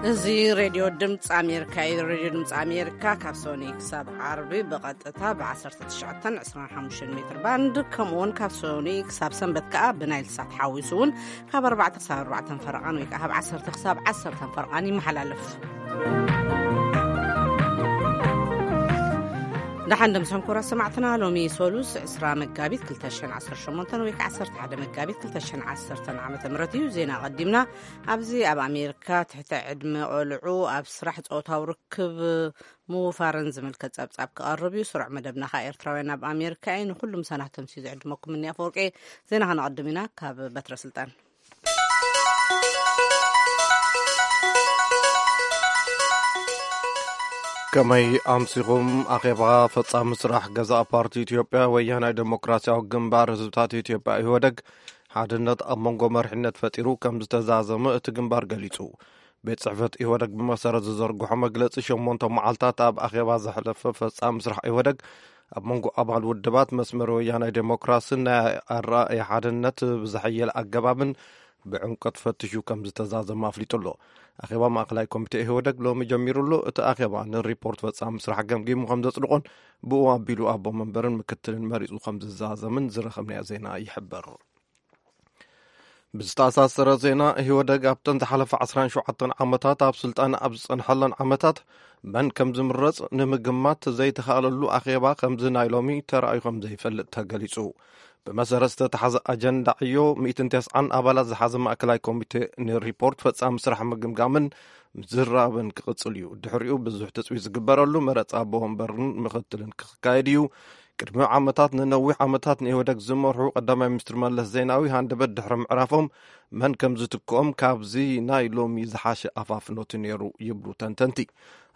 እዚ ሬድዮ ድምፂ ኣሜሪካ እዩ። ሬድዮ ድምፂ ኣሜሪካ ካብ ሶኒ ክሳብ ዓርቢ ብቐጥታ ብ1925 ሜትር ባንድ፣ ከምኡውን ካብ ሶኒ ክሳብ ሰንበት ከዓ ብናይል ሳት ሓዊሱ እውን ካብ ኣርባዕተ ክሳብ ኣርባዕተ ፈረቓን ወይ ከዓ ካብ ዓሰርተ ክሳብ ዓሰርተ ፈረቓን ይመሓላለፍ። ደሓን ደምሰን ኩራ ሰማዕትና፣ ሎሚ ሶሉስ ዕስራ መጋቢት ክልተ ሽሕን ዓሰርተ ሸሞንተን ወይ ከዓ ዓሰርተ ሓደ መጋቢት ክልተ ሽሕን ዓሰርተን ዓመተ ምህረት እዩ። ዜና ቀዲምና። ኣብዚ ኣብ ኣሜሪካ ትሕቲ ዕድመ ቆልዑ ኣብ ስራሕ ጾታዊ ርክብ ምውፋርን ዝምልከት ጸብጻብ ክቐርብ እዩ። ስሩዕ መደብና ኸኣ ኤርትራውያን ኣብ ኣሜሪካ እዩ። ንኹሉ ምሳና ተምስዩ ዝዕድመኩም እኒ ኣፈወርቂ። ዜና ከነቐድም ኢና ካብ በትረ ስልጣን። ከመይ ኣምሲኹም? ኣኼባ ፈጻሚ ስራሕ ገዛእ ፓርቲ ኢትዮጵያ ወያናይ ዴሞክራሲያዊ ግንባር ህዝብታት ኢትዮጵያ ኢህወደግ ሓድነት ኣብ መንጎ መሪሕነት ፈጢሩ ከም ዝተዛዘመ እቲ ግንባር ገሊጹ። ቤት ጽሕፈት ኢህወደግ ብመሰረት ዝዘርግሖ መግለጺ፣ ሸሞንተ መዓልታት ኣብ ኣኼባ ዘሕለፈ ፈጻሚ ስራሕ ኢህወደግ ኣብ መንጎ ኣባል ውድባት መስመር ወያናይ ዴሞክራስን ናይ ኣረኣእያ ሓድነት ብዝሐየለ ኣገባብን ብዕምቆት ፈቲሹ ከም ዝተዛዘመ ኣፍሊጡ ኣሎ። ኣኼባ ማእከላይ ኮሚቴ ኢህወደግ ሎሚ ጀሚሩ ኣሎ። እቲ ኣኼባ ንሪፖርት ፈጻሚ ስራሕ ገምጊሙ ከም ዘጽድቖን ብኡ ኣቢሉ ኣቦ መንበርን ምክትልን መሪጹ ከም ዝዛዘምን ዝረኸብናዮ ዜና ይሕብር። ብዝተኣሳሰረ ዜና፣ ኢህወደግ ኣብተን ዝሓለፈ ዓሰርተ ሸውዓተ ዓመታት ኣብ ስልጣን ኣብ ዝጸንሐለን ዓመታት መን ከም ዝምረጽ ንምግማት ዘይተኻእለሉ ኣኼባ ከምዚ ናይ ሎሚ ተራእዩ ከም ዘይፈልጥ ተገሊጹ። ብመሰረት ዝተታሕዘ ኣጀንዳ ዕዮ፣ ሚእትን ተስዓን ኣባላት ዝሓዘ ማእከላይ ኮሚቴ ንሪፖርት ፈጻሚ ስራሕ ምግምጋምን ምዝራብን ክቕጽል እዩ። ድሕሪኡ ብዙሕ ትጽቢት ዝግበረሉ መረጻ ኣቦ ወንበርን ምኽትልን ክካየድ እዩ። ቅድሚ ዓመታት፣ ንነዊሕ ዓመታት ንኢህወደግ ዝመርሑ ቀዳማይ ሚኒስትር መለስ ዜናዊ ሃንደበት ድሕሪ ምዕራፎም መን ከም ዝትክኦም ካብዚ ናይ ሎሚ ዝሓሸ ኣፋፍኖት ነይሩ ይብሉ ተንተንቲ።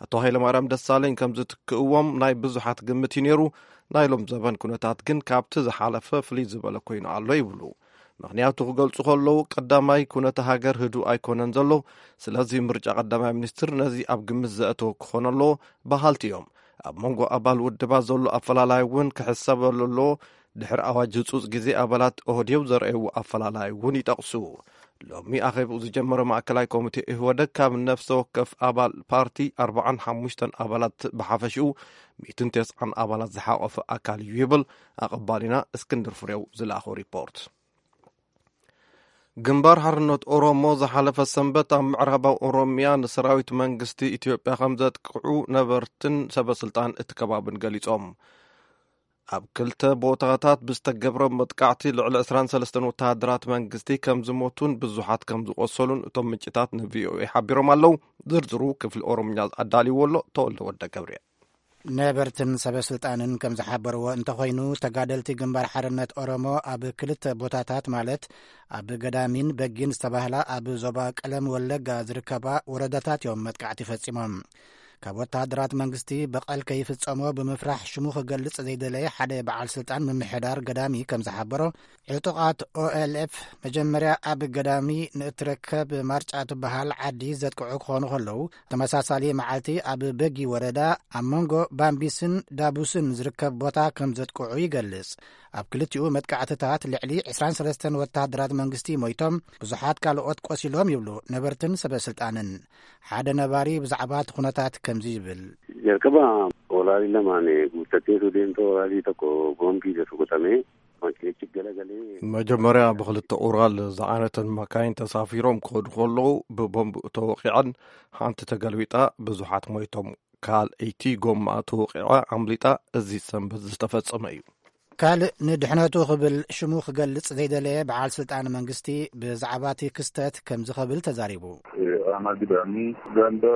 ኣቶ ሃይለማርያም ደሳለኝ ከም ዝትክእዎም ናይ ብዙሓት ግምት እዩ ነይሩ። ናይ ሎም ዘበን ኩነታት ግን ካብቲ ዝሓለፈ ፍልይ ዝበለ ኮይኑ ኣሎ ይብሉ። ምኽንያቱ ክገልጹ ከለዉ፣ ቀዳማይ ኩነተ ሃገር ህዱእ ኣይኮነን ዘሎ። ስለዚ ምርጫ ቀዳማይ ሚኒስትር ነዚ ኣብ ግምት ዘእተወ ክኾን ኣለዎ በሃልቲ እዮም። ኣብ መንጎ ኣባል ውድባት ዘሎ ኣፈላላይ እውን ክሕሰበሉ ኣለዎ። ድሕሪ ኣዋጅ ህጹጽ ግዜ ኣባላት ኦህዴው ዘርኣይዎ ኣፈላላይ እውን ይጠቕሱ። ሎሚ ኣኼብኡ ዝጀመረ ማእከላይ ኮሚቴ ኢህወደግ ካብ ነፍሰ ወከፍ ኣባል ፓርቲ ኣርባዓን ሓሙሽተን ኣባላት ብሓፈሽኡ ሚእትን ተስዓን ኣባላት ዝሓቖፈ ኣካል እዩ ይብል ኣቐባሊና እስክንድር ፍሬው ዝለኣኾ ሪፖርት። ግንባር ሓርነት ኦሮሞ ዝሓለፈ ሰንበት ኣብ ምዕራባዊ ኦሮሚያ ንሰራዊት መንግስቲ ኢትዮጵያ ከም ዘጥቅዑ ነበርትን ሰበስልጣን እቲ ከባብን ገሊጾም። ኣብ ክልተ ቦታታት ብዝተገብረ መጥቃዕቲ ልዕሊ ዕስራን ሰለስተን ወተሃደራት መንግስቲ ከም ዝሞቱን ብዙሓት ከም ዝቖሰሉን እቶም ምንጭታት ንቪኦኤ ሓቢሮም ኣለዉ። ዝርዝሩ ክፍሊ ኦሮምኛ ኣዳልይዎ ኣሎ። ተወልደ ወልደ ገብርኤል። ነበርትን ሰበ ስልጣንን ከም ዝሓበርዎ እንተኾይኑ፣ ተጋደልቲ ግንባር ሓርነት ኦሮሞ ኣብ ክልተ ቦታታት፣ ማለት ኣብ ገዳሚን በጊን ዝተባህላ ኣብ ዞባ ቀለም ወለጋ ዝርከባ ወረዳታት እዮም መጥቃዕቲ ፈጺሞም። ካብ ወተሃደራት መንግስቲ በቐል ከይፍጸሞ ብምፍራሕ ሽሙ ክገልጽ ዘይደለየ ሓደ በዓል ስልጣን ምምሕዳር ገዳሚ ከም ዝሓበሮ፣ ዕጡቓት ኦኤልኤፍ መጀመርያ ኣብ ገዳሚ ንእትርከብ ማርጫ ትበሃል ዓዲ ዘጥቅዑ ክኾኑ ከለዉ፣ ተመሳሳሊ መዓልቲ ኣብ በጊ ወረዳ ኣብ መንጎ ባምቢስን ዳቡስን ዝርከብ ቦታ ከም ዘጥቅዑ ይገልጽ። ኣብ ክልቲኡ መጥቃዕትታት ልዕሊ ዕስራን ሰለስተን ወተሃደራት መንግስቲ ሞይቶም፣ ብዙሓት ካልኦት ቆሲሎም ይብሉ ነበርትን ሰበ ስልጣንን። ሓደ ነባሪ ብዛዕባ እቲ ኩነታት ከምዚ ይብል። Jalqaba olaalii lamaan guuttateetu deemtoo olaalii tokko boombii jedhu kutame makiinichi galagalee. መጀመርያ ብኽልተ ኡራል ዝዓይነተን መካይን ተሳፊሮም ክኸዱ ከለዉ ብቦምብ ተወቒዐን፣ ሓንቲ ተገልቢጣ፣ ብዙሓት ሞይቶም። ካልኣይቲ ጎማ ተወቒዐ ኣምሊጣ። እዚ ሰንበት ዝተፈጸመ እዩ። ካልእ ንድሕነቱ ክብል ሽሙ ክገልጽ ዘይደለየ በዓል ስልጣን መንግስቲ ብዛዕባ እቲ ክስተት ከምዚ ክብል ተዛሪቡ። Aanaa Gidaamii ganda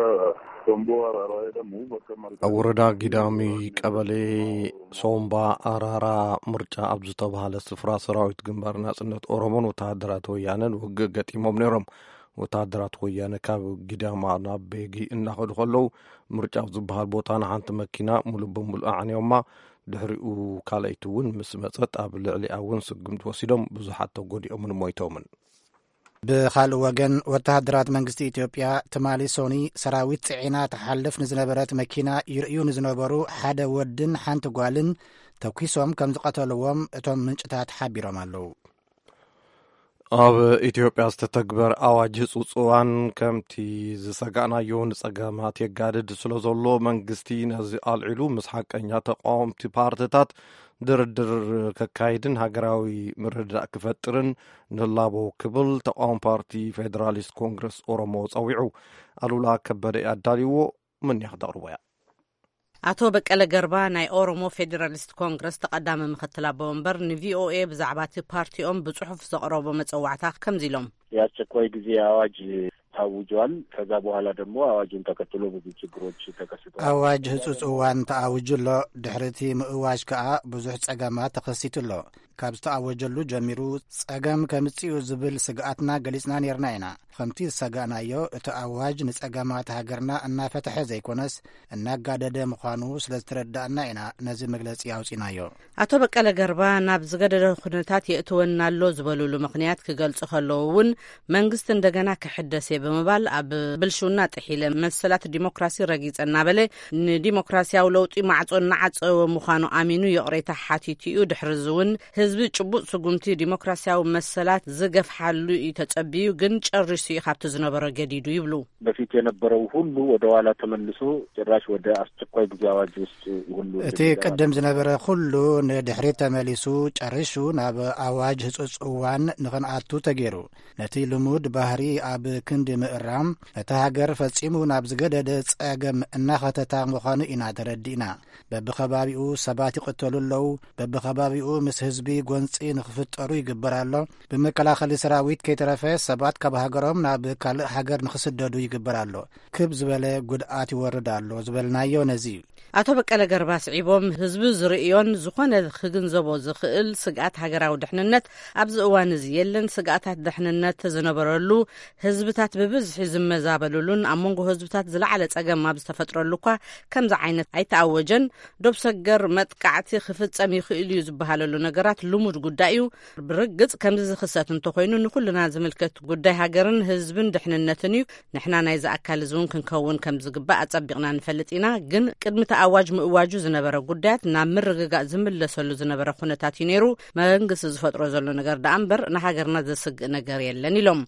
Tomboo Araaraa jedhamu bakka marga ኣብ ወረዳ ጊዳሚ ቀበሌ ሶምባ ኣራራ ምርጫ ኣብ ዝተባህለ ስፍራ ሰራዊት ግንባር ናጽነት ኦሮሞን ወተሃደራት ወያነን ውግእ ገጢሞም ነይሮም። ወተሃደራት ወያነ ካብ ጊዳማ ናብ ቤጊ እናኸዱ ከለዉ፣ ምርጫ ኣብ ዝበሃል ቦታ ንሓንቲ መኪና ሙሉእ ብሙሉእ ኣዕንዮማ። ድሕሪኡ ካልኣይቲ እውን ምስ መጸት ኣብ ልዕሊኣ እውን ስጉምቲ ወሲዶም ብዙሓት ተጎዲኦምን ሞይቶምን። ብኻልእ ወገን፣ ወተሃደራት መንግስቲ ኢትዮጵያ ትማሊ ሶኒ ሰራዊት ጽዒና ትሓልፍ ንዝነበረት መኪና ይርእዩ ንዝነበሩ ሓደ ወድን ሓንቲ ጓልን ተኲሶም ከም ዝቐተልዎም እቶም ምንጭታት ሓቢሮም ኣለዉ። ኣብ ኢትዮጵያ ዝተተግበር ኣዋጅ ህጹጽ እዋን ከምቲ ዝሰጋእናዮ ንጸገማት የጋድድ ስለ ዘሎ፣ መንግስቲ ነዚ ኣልዒሉ ምስ ሓቀኛ ተቃወምቲ ፓርትታት ድርድር ከካይድን ሃገራዊ ምርድዳእ ክፈጥርን ንላቦ ክብል ተቃዋሚ ፓርቲ ፌደራሊስት ኮንግረስ ኦሮሞ ጸዊዑ። ኣሉላ ከበደ ኣዳልይዎ፣ ምንያ ክተቕርቦ እያ። ኣቶ በቀለ ገርባ ናይ ኦሮሞ ፌዴራሊስት ኮንግረስ ተቐዳሚ ምክትል ኣቦ ወንበር ንቪኦኤ ብዛዕባ እቲ ፓርቲኦም ብጽሑፍ ዘቕረቦ መጸዋዕታ ከምዚ ኢሎም። የአስቸኳይ ጊዜ አዋጅ ታውጇል። ከዛ በኋላ ደግሞ አዋጁን ተከትሎ ብዙ ችግሮች ተከስተዋል። ኣዋጅ ህጹጽ እዋን ተኣውጁ ኣሎ። ድሕሪ እቲ ምእዋጅ ከኣ ብዙሕ ጸገማት ተኸሲቱ ኣሎ። ካብ ዝተኣወጀሉ ጀሚሩ ጸገም ከምጽኡ ዝብል ስግኣትና ገሊጽና ነርና ኢና። ከምቲ ዝሰጋእናዮ እቲ ኣዋጅ ንጸገማት ሃገርና እናፈትሐ ዘይኮነስ እናጋደደ ምዃኑ ስለ ዝተረዳእና ኢና ነዚ መግለጺ ኣውጺናዮ። ኣቶ በቀለ ገርባ ናብ ዝገደደ ኩነታት የእትወና ኣሎ ዝበሉሉ ምኽንያት ክገልጹ ከለዉ እውን መንግስቲ እንደገና ክሕደስ እየ ብምባል ኣብ ብልሽውና ጥሒለ መሰላት ዲሞክራሲ ረጊጸ እናበለ ንዲሞክራሲያዊ ለውጢ ማዕጾ እናዓጸወ ምዃኑ ኣሚኑ ይቕሬታ ሓቲቱ እዩ። ድሕሪ እዚ እውን ህዝቢ ጭቡጥ ስጉምቲ ዲሞክራሲያዊ መሰላት ዝገፍሓሉ እዩ ተጸቢዩ፣ ግን ጨሪሱ እዩ ካብቲ ዝነበሮ ገዲዱ ይብሉ። በፊት የነበረው ሁሉ ወደ ኋላ ተመልሶ ጭራሽ ወደ አስቸኳይ ጊዜ አዋጅ ውስጥ ሁሉ እቲ ቅድም ዝነበረ ኩሉ ንድሕሪት ተመሊሱ ጨሪሹ ናብ ኣዋጅ ህጹጽ እዋን ንኽንኣቱ ተገይሩ። ነቲ ልሙድ ባህሪ ኣብ ክንዲ ምእራም፣ ነታ ሃገር ፈጺሙ ናብ ዝገደደ ጸገም እናኸተታ ምዃኑ ኢና ተረዲእና። በብኸባቢኡ ሰባት ይቕተሉ ኣለዉ። በብኸባቢኡ ምስ ህዝቢ ጎንጺ ንኽፍጠሩ ይግበር ኣሎ። ብመከላኸሊ ሰራዊት ከይተረፈ ሰባት ካብ ሃገሮም ናብ ካልእ ሃገር ንኽስደዱ ይግበር ኣሎ። ክብ ዝበለ ጉድኣት ይወርድ ኣሎ ዝበልናዮ ነዚ እዩ። ኣቶ በቀለ ገርባ ስዒቦም፣ ህዝቢ ዝርእዮን ዝኾነ ክግንዘቦ ዝኽእል ስግኣት ሃገራዊ ድሕንነት ኣብዚ እዋን እዚ የለን። ስግኣታት ድሕንነት ዝነበረሉ፣ ህዝብታት ብብዝሒ ዝመዛበሉሉን ኣብ መንጎ ህዝብታት ዝለዓለ ጸገም ኣብ ዝተፈጥረሉ እኳ ከምዚ ዓይነት ኣይተኣወጀን። ዶብ ሰገር መጥቃዕቲ ክፍጸም ይኽእል እዩ ዝበሃለሉ ነገራት ልሙድ ጉዳይ እዩ። ብርግጽ ከምዚ ዝኽሰት እንተኾይኑ ንኹልና ዝምልከት ጉዳይ ሃገርን ህዝብን ድሕንነትን እዩ። ንሕና ናይዚ ኣካል እዚ እውን ክንከውን ከም ዝግባእ ኣጸቢቕና ንፈልጥ ኢና። ግን ቅድሚ እቲ ኣዋጅ ምእዋጁ ዝነበረ ጉዳያት ናብ ምርግጋእ ዝምለሰሉ ዝነበረ ኩነታት እዩ ነይሩ። መንግስቲ ዝፈጥሮ ዘሎ ነገር ደኣ እምበር ንሃገርና ዘስግእ ነገር የለን ኢሎም።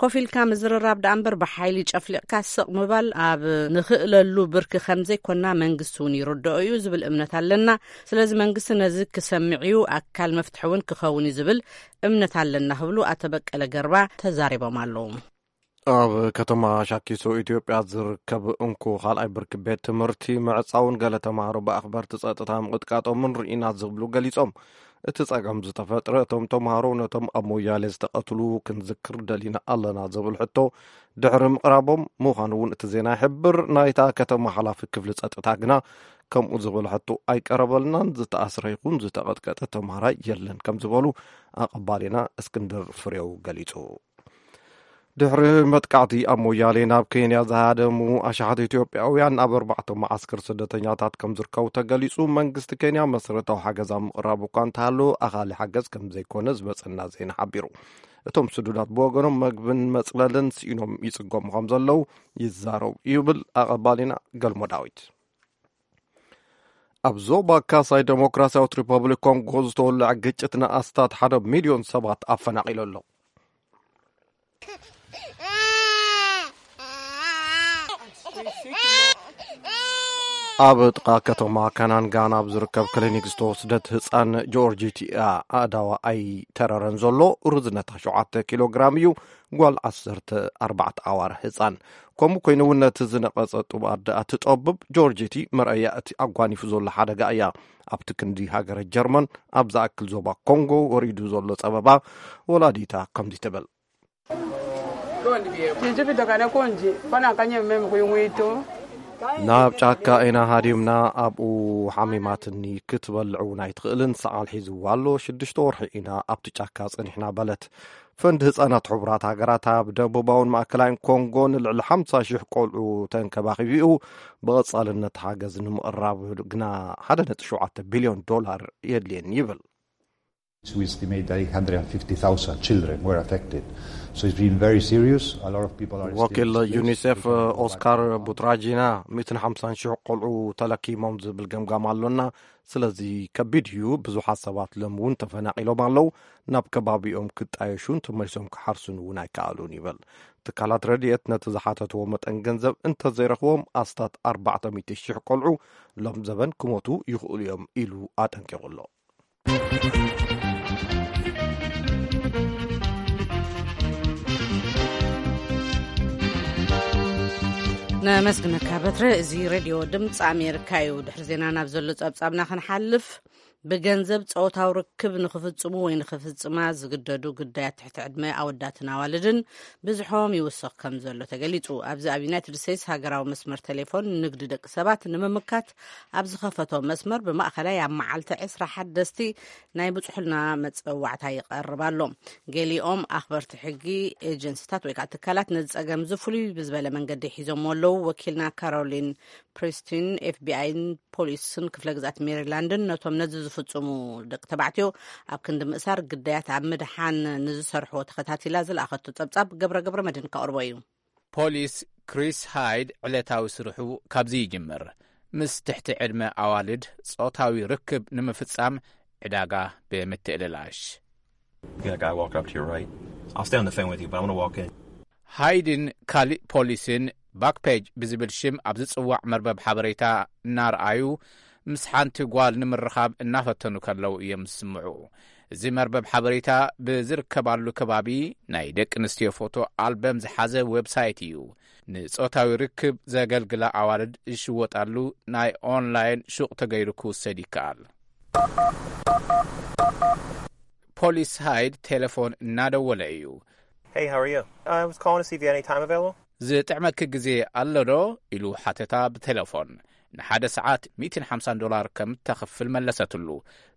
ኮፍ ኢልካ ምዝርራብ ደኣ እምበር ብሓይሊ ጨፍሊቕካ ስቕ ምባል ኣብ ንኽእለሉ ብርኪ ከም ዘይኮና መንግስቲ እውን ይርድኦ እዩ ዝብል እምነት ኣለና። ስለዚ መንግስቲ ነዚ ክሰምዕ እዩ፣ ኣካል መፍትሒ እውን ክኸውን እዩ ዝብል እምነት ኣለና ክብሉ ኣቶ በቀለ ገርባ ተዛሪቦም ኣለዉ። ኣብ ከተማ ሻኪሶ ኢትዮጵያ ዝርከብ እንኮ ካልኣይ ብርኪ ቤት ትምህርቲ ምዕጻውን ገለ ተምሃሮ ብኣኽበርቲ ጸጥታ ምቕጥቃጦምን ርኢና ዝብሉ ገሊጾም። እቲ ጸገም ዝተፈጥረ እቶም ተምሃሮ ነቶም ኣብ ሞያሌ ዝተቐትሉ ክንዝክር ደሊና ኣለና ዝብል ሕቶ ድሕሪ ምቕራቦም ምዃኑ እውን እቲ ዜና ይሕብር። ናይታ ከተማ ሓላፊ ክፍሊ ጸጥታ ግና ከምኡ ዝብል ሕቶ ኣይቀረበልናን፣ ዝተኣስረ ይኹን ዝተቐጥቀጠ ተምሃራይ የለን ከም ዝበሉ ኣቐባሊና እስክንድር ፍሬው ገሊጹ። ድሕሪ መጥቃዕቲ ኣብ ሞያሌ ናብ ኬንያ ዝሃደሙ ኣሽሓት ኢትዮጵያውያን ኣብ ኣርባዕተ መዓስከር ስደተኛታት ከም ዝርከቡ ተገሊጹ። መንግስቲ ኬንያ መሰረታዊ ሓገዝ ኣብ ምቕራብ እኳ እንተሃለወ ኣኻሊ ሓገዝ ከም ዘይኮነ ዝመጸና ዜና ሓቢሩ። እቶም ስዱዳት ብወገኖም መግብን መጽለልን ስኢኖም ይጽገሙ ከም ዘለዉ ይዛረቡ ይብል ኣቐባሊና ገልሞ ዳዊት። ኣብ ዞባ ካሳይ ዴሞክራሲያዊት ሪፐብሊክ ኮንጎ ዝተወልዐ ግጭት ንኣስታት ሓደ ሚልዮን ሰባት ኣፈናቒሉ ኣሎ። ኣብ ጥቓ ከተማ ካናንጋና ኣብ ዝርከብ ክሊኒክ ዝተወስደት ህጻን ጆርጂቲ እያ። ኣእዳዋ ኣይተረረን ዘሎ። ርዝነታ ሸውዓተ ኪሎ ግራም እዩ። ጓል ዓሰርተ ኣርባዕተ ኣዋርሕ ህጻን። ከምኡ ኮይኑ እውን ነቲ ዝነቐጸ ጡብ ኣደኣ ትጠብብ። ጆርጂቲ መርኣያ እቲ ኣጓኒፉ ዘሎ ሓደጋ እያ። ኣብቲ ክንዲ ሃገረ ጀርመን ኣብ ዝኣክል ዞባ ኮንጎ ወሪዱ ዘሎ ጸበባ ወላዲታ ከምዚ ትብል። ናብ ጫካ ኢና ሃዲምና፣ ኣብኡ ሓሚማትኒ፣ ክትበልዕ እውን ኣይትኽእልን፣ ሰዓል ሒዝዋ ኣሎ፣ ሽዱሽተ ወርሒ ኢና ኣብቲ ጫካ ጸኒሕና በለት። ፈንድ ህጻናት ሕቡራት ሃገራት ኣብ ደቡባውን ማእከላይን ኮንጎ ንልዕሊ ሓምሳ ሽሕ ቆልዑ ተንከባኺቡ እዩ። ብቐጻልነት ሓገዝ ንምቕራብ ግና ሓደ ነጥቢ ሸውዓተ ቢልዮን ዶላር የድልየን ይብል። We estimate that eight hundred fifty thousand children were affected. So it's been very serious. A lot of people are still ወኪል displaced. ዩኒሴፍ People cannot go back ኦስካር to their homes. ቡትራጂና ሚእትን ሓምሳን ሽሕ ቆልዑ ተለኪሞም ዝብል ገምጋም ኣሎና። ስለዚ ከቢድ እዩ። ብዙሓት ሰባት ሎም እውን ተፈናቒሎም ኣለዉ። ናብ ከባቢኦም ክጣየሹን ተመሊሶም ክሓርሱን እውን ኣይከኣሉን ይብል። ትካላት ረድኤት ነቲ ዝሓተትዎ መጠን ገንዘብ እንተዘይረኽቦም ኣስታት ኣርባዕተ ሚእቲ ሽሕ ቆልዑ ሎም ዘበን ክሞቱ ይኽእሉ እዮም ኢሉ ኣጠንቂቑ ኣሎ። ነመስግነካ በትረ። እዚ ሬድዮ ድምፂ ኣሜሪካ እዩ። ድሕሪ ዜና ናብ ዘሎ ጸብጻብና ክንሓልፍ፣ ብገንዘብ ጾታዊ ርክብ ንኽፍጽሙ ወይ ንኽፍጽማ ዝግደዱ ግዳያት ትሕቲ ዕድመ ኣወዳትን ኣዋልድን ብዝሖም ይውሰኽ ከም ዘሎ ተገሊጹ። ኣብዚ ኣብ ዩናይትድ ስቴትስ ሃገራዊ መስመር ቴሌፎን ንግዲ ደቂ ሰባት ንምምካት ኣብ ዝኸፈቶ መስመር ብማእኸላይ ኣብ መዓልቲ ዕስራ ሓደስቲ ናይ ብጽሑልና መጸዋዕታ ይቐርብ ኣሎ። ገሊኦም ኣኽበርቲ ሕጊ፣ ኤጀንሲታት ወይ ከዓ ትካላት ነዚ ጸገም እዚ ፍሉይ ብዝበለ መንገዲ ሒዞምዎ ኣለዉ። ወኪልና ካሮሊን ፕሪስቲን ኤፍቢኣይን ፖሊስን ክፍለ ግዝኣት ሜሪላንድን ነቶም ነዚ ዝፍጽሙ ደቂ ተባዕትዮ ኣብ ክንዲ ምእሳር ግዳያት ኣብ ምድሓን ንዝሰርሕዎ ተኸታቲላ ዝለኣኸቶ ጸብጻብ ገብረ ገብረ መድህን ከቕርቦ እዩ። ፖሊስ ክሪስ ሃይድ ዕለታዊ ስርሑ ካብዚ ይጅምር። ምስ ትሕቲ ዕድመ ኣዋልድ ጾታዊ ርክብ ንምፍጻም ዕዳጋ ብምትእልላሽ። That guy walked up to your right. I'll stay on the phone with you, but I'm gonna walk in. ሃይድን ካሊእ ፖሊስን ባክፔጅ ብዝብል ሽም ኣብ ዝጽዋዕ መርበብ ሓበሬታ እናረኣዩ ምስ ሓንቲ ጓል ንምርኻብ እናፈተኑ ከለዉ እዮም ዝስምዑ። እዚ መርበብ ሓበሬታ ብዝርከባሉ ከባቢ ናይ ደቂ ኣንስትዮ ፎቶ ኣልበም ዝሓዘ ዌብሳይት እዩ። ንጾታዊ ርክብ ዘገልግላ ኣዋልድ ዝሽወጣሉ ናይ ኦንላይን ሹቕ ተገይሩ ክውሰድ ይከኣል። ፖሊስ ሃይድ ቴሌፎን እናደወለ እዩ። Hey, how are you? I was calling to see if you had any time available. ዝጥዕመኪ ግዜ ኣሎ ዶ? ኢሉ ሓተታ ብቴሌፎን። ንሓደ ሰዓት ሚእትን ሓምሳን ዶላር ከም ተኽፍል መለሰትሉ።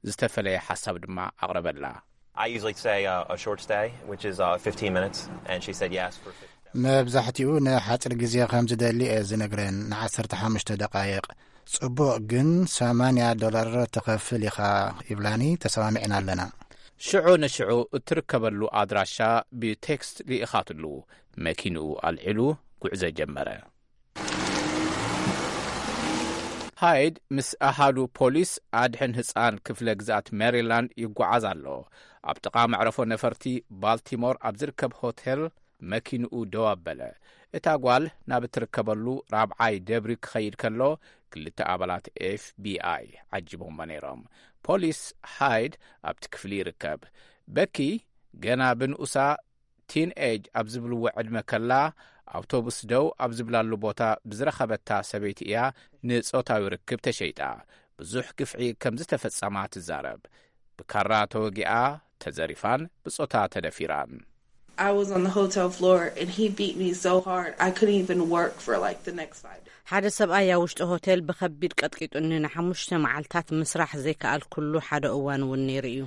ዝተፈለየ ሓሳብ ድማ ኣቕረበላ። I usually say uh, a short stay, which is uh, fifteen minutes, and she said yes for fifteen. መብዛሕትኡ ንሓጺር ግዜ ከም ዝደሊ እየ ዝነግረን፣ ንዓሰርተ ሓሙሽተ ደቓይቕ። ጽቡቕ፣ ግን ሰማንያ ዶላር ትኸፍል ኢኻ ይብላኒ። ተሰማሚዕና ኣለና። ሽዑ ንሽዑ እትርከበሉ ኣድራሻ ብቴክስት ልኢኻትሉ። መኪንኡ ኣልዒሉ ጉዕዞ ጀመረ። ሃይድ ምስ ኣሃዱ ፖሊስ ኣድሕን ህጻን ክፍለ ግዝኣት ሜሪላንድ ይጓዓዝ ኣሎ። ኣብ ጥቓ መዕረፎ ነፈርቲ ባልቲሞር ኣብ ዝርከብ ሆቴል መኪንኡ ደው ኣበለ። እታ ጓል ናብ እትርከበሉ ራብዓይ ደብሪ ክኸይድ ከሎ፣ ክልተ ኣባላት ኤፍቢኣይ ዓጂቦሞ ነይሮም። ፖሊስ ሃይድ ኣብቲ ክፍሊ ይርከብ። በኪ ገና ብንኡሳ ቲን ኤጅ ኣብ ዝብልዎ ዕድመ ከላ፣ ኣውቶቡስ ደው ኣብ ዝብላሉ ቦታ ብዝረኸበታ ሰበይቲ እያ ንጾታዊ ርክብ ተሸይጣ። ብዙሕ ግፍዒ ከም ዝተፈጸማ ትዛረብ። ብካራ ተወጊኣ፣ ተዘሪፋን ብጾታ ተደፊራን። I was on the hotel floor and he beat me so hard I couldn't even work for like the next five days. ሓደ ሰብኣይ ኣብ ውሽጢ ሆቴል ብኸቢድ ቀጥቂጡኒ፣ ንሓሙሽተ መዓልታት ምስራሕ ዘይከኣልኩሉ ሓደ እዋን እውን ነይሩ እዩ።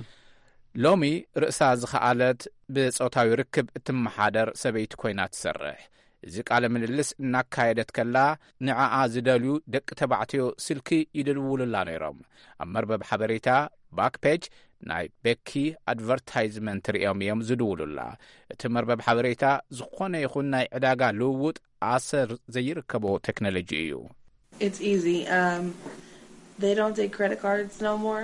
ሎሚ ርእሳ ዝኸኣለት ብጾታዊ ርክብ እትመሓደር ሰበይቲ ኮይና ትሰርሕ። እዚ ቃለ ምልልስ እናካየደት ከላ፣ ንዓኣ ዝደልዩ ደቂ ተባዕትዮ ስልኪ ይድውሉላ ነይሮም። ኣብ መርበብ ሓበሬታ ባክፔጅ ናይ ቤኪ ኣድቨርታይዝመንት ሪኦም እዮም ዝድውሉላ። እቲ መርበብ ሓበሬታ ዝኾነ ይኹን ናይ ዕዳጋ ልውውጥ ኣሰር ዘይርከቦ ቴክኖሎጂ እዩ። It's easy. Um, they don't take credit cards no more.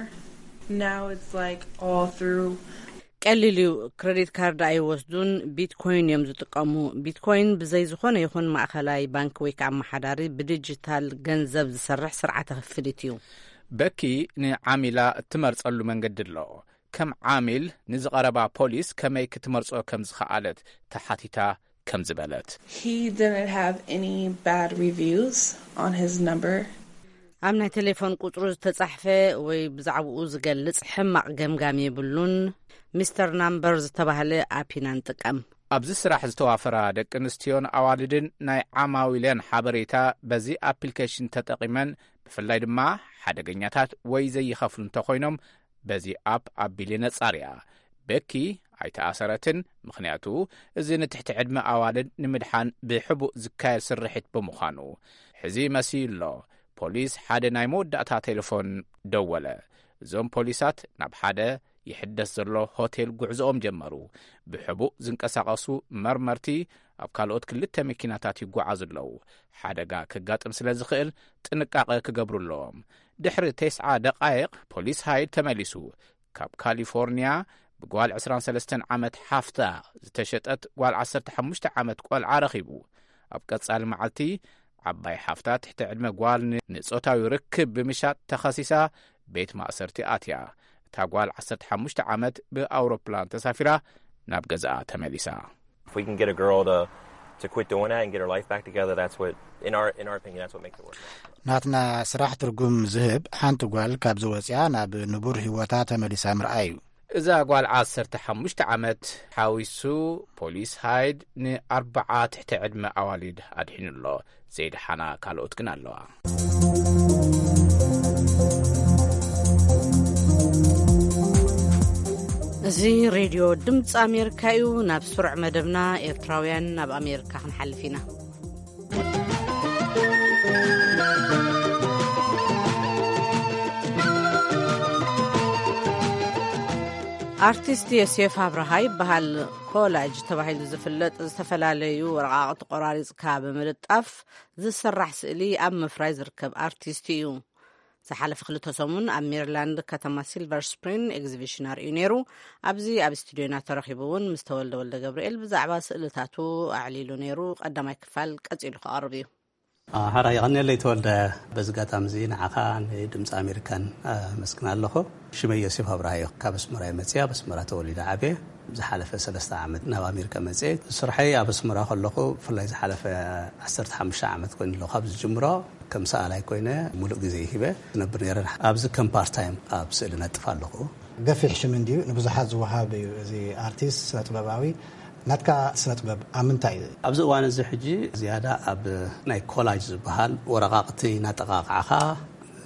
Now it's like all through. ቀሊል እዩ። ክሬዲት ካርድ ኣይወስዱን፣ ቢትኮይን እዮም ዝጥቀሙ። ቢትኮይን ብዘይ ዝኾነ ይኹን ማእኸላይ ባንክ ወይ ከዓ ኣመሓዳሪ ብዲጂታል ገንዘብ ዝሰርሕ ስርዓተ ክፍሊት እዩ። በኪ ንዓሚላ እትመርጸሉ መንገዲ ኣሎ። ከም ዓሚል ንዝቐረባ ፖሊስ ከመይ ክትመርጾ ከም ዝኸኣለት ተሓቲታ ከም ዝበለት። He didn't have any bad reviews on his number. ኣብ ናይ ቴሌፎን ቁጽሩ ዝተጻሕፈ ወይ ብዛዕባኡ ዝገልጽ ሕማቕ ገምጋም የብሉን። ሚስተር ናምበር ዝተባህለ ኣፕ ኢና ንጥቀም። ኣብዚ ስራሕ ዝተዋፈራ ደቂ ኣንስትዮን ኣዋልድን ናይ ዓማዊለን ሓበሬታ በዚ ኣፕሊኬሽን ተጠቒመን፣ ብፍላይ ድማ ሓደገኛታት ወይ ዘይኸፍሉ እንተኾይኖም በዚ ኣፕ ኣቢል የነጻርያ። በኪ ኣይተኣሰረትን፣ ምኽንያቱ እዚ ንትሕቲ ዕድመ ኣዋልድ ንምድሓን ብሕቡእ ዝካየድ ስርሒት ብምዃኑ። ሕዚ መሲሉ ኣሎ። ፖሊስ ሓደ ናይ መወዳእታ ቴሌፎን ደወለ። እዞም ፖሊሳት ናብ ሓደ ይሕደስ ዘሎ ሆቴል ጉዕዞኦም ጀመሩ። ብሕቡእ ዝንቀሳቐሱ መርመርቲ ኣብ ካልኦት ክልተ መኪናታት ይጓዓዙ ኣለዉ። ሓደጋ ከጋጥም ስለ ዝኽእል ጥንቃቐ ክገብሩ ኣለዎም። ድሕሪ ተስዓ ደቓይቕ ፖሊስ ሃይድ ተመሊሱ። ካብ ካሊፎርኒያ ብጓል ዕስራን ሰለስተን ዓመት ሓፍታ ዝተሸጠት ጓል ዓሰርተ ሓሙሽተ ዓመት ቆልዓ ረኺቡ። ኣብ ቀጻሊ መዓልቲ ዓባይ ሓፍታ ትሕቲ ዕድመ ጓል ን-፣ ንጾታዊ ርክብ ብምሻጥ ተኸሲሳ ቤት ማእሰርቲ ኣትያ። እታ ጓል ዓሰርተ ሓሙሽተ ዓመት ብኣውሮፕላን ተሳፊራ ናብ ገዛኣ ተመሊሳ። If we can get a girl to, to quit doing that and get her life back together, that's what, in our, in our opinion, that's what makes it worth it. ናትና ስራሕ ትርጉም ዝህብ ሓንቲ ጓል ካብዚ ወፅያ ናብ ንቡር ህይወታ ተመሊሳ ምርኣይ እዩ። እዛ ጓል ዓሰርተ ሓሙሽተ ዓመት ሓዊሱ ፖሊስ ሃይድ ንኣርባዓ ትሕቲ ዕድመ ኣዋልድ ኣድሒኑ ኣሎ። ዘይደሓና ካልኦት ግን ኣለዋ። እዚ ሬድዮ ድምፂ ኣሜሪካ እዩ። ናብ ስሩዕ መደብና ኤርትራውያን ናብ ኣሜሪካ ክንሓልፍ ኢና። ኣርቲስት ዮሴፍ ኣብርሃ ይበሃል። ኮላጅ ተባሂሉ ዝፍለጥ ዝተፈላለዩ ወረቓቕቲ ቆራሪጽካ ብምልጣፍ ዝስራሕ ስእሊ ኣብ ምፍራይ ዝርከብ ኣርቲስት እዩ። ዝሓለፈ ክልተ ሰሙን ኣብ ሜሪላንድ ከተማ ሲልቨር ስፕሪን ኤግዚቢሽን ኣርእዩ ነይሩ። ኣብዚ ኣብ ስቱዲዮና ተረኺቡ እውን ምስ ተወልደ ወልደ ገብርኤል ብዛዕባ ስእልታቱ ኣዕሊሉ ነይሩ። ቀዳማይ ክፋል ቀጺሉ ክቐርብ እዩ። ሓራ የቐንየለይ ተወልደ። በዚ ኣጋጣሚ እዚ ንዓኻ ንድምፂ ኣሜሪካን ኣመስግን ኣለኹ። ሽመይ ዮሴፍ ኣብርሃ እዩ። ካብ ኣስመራ እየ መፅየ። ኣብ ኣስመራ ተወሊደ ዓብየ። ዝሓለፈ ሰለስተ ዓመት ናብ ኣሜሪካ መፅየ። ስርሐይ ኣብ ኣስመራ ከለኹ ብፍላይ ዝሓለፈ ዓሰርተ ሓሙሽተ ዓመት ኮይኑ ኣሎ ካብ ዝጅምሮ ከም ሰኣላይ ኮይነ ሙሉእ ግዜ ሂበ ዝነብር ነይረ። ኣብዚ ከም ፓርት ታይም ኣብ ስእሊ ነጥፍ ኣለኹ። ገፊሕ ሽም እንድዩ፣ ንብዙሓት ዝወሃብ እዩ። እዚ ኣርቲስት ስነ ጥበባዊ ናትካ ስነ ጥበብ ኣብ ምንታይ እዩ? ኣብዚ እዋን እዚ ሕጂ ዝያዳ ኣብ ናይ ኮላጅ ዝበሃል ወረቓቕቲ እናጠቓቕዓኻ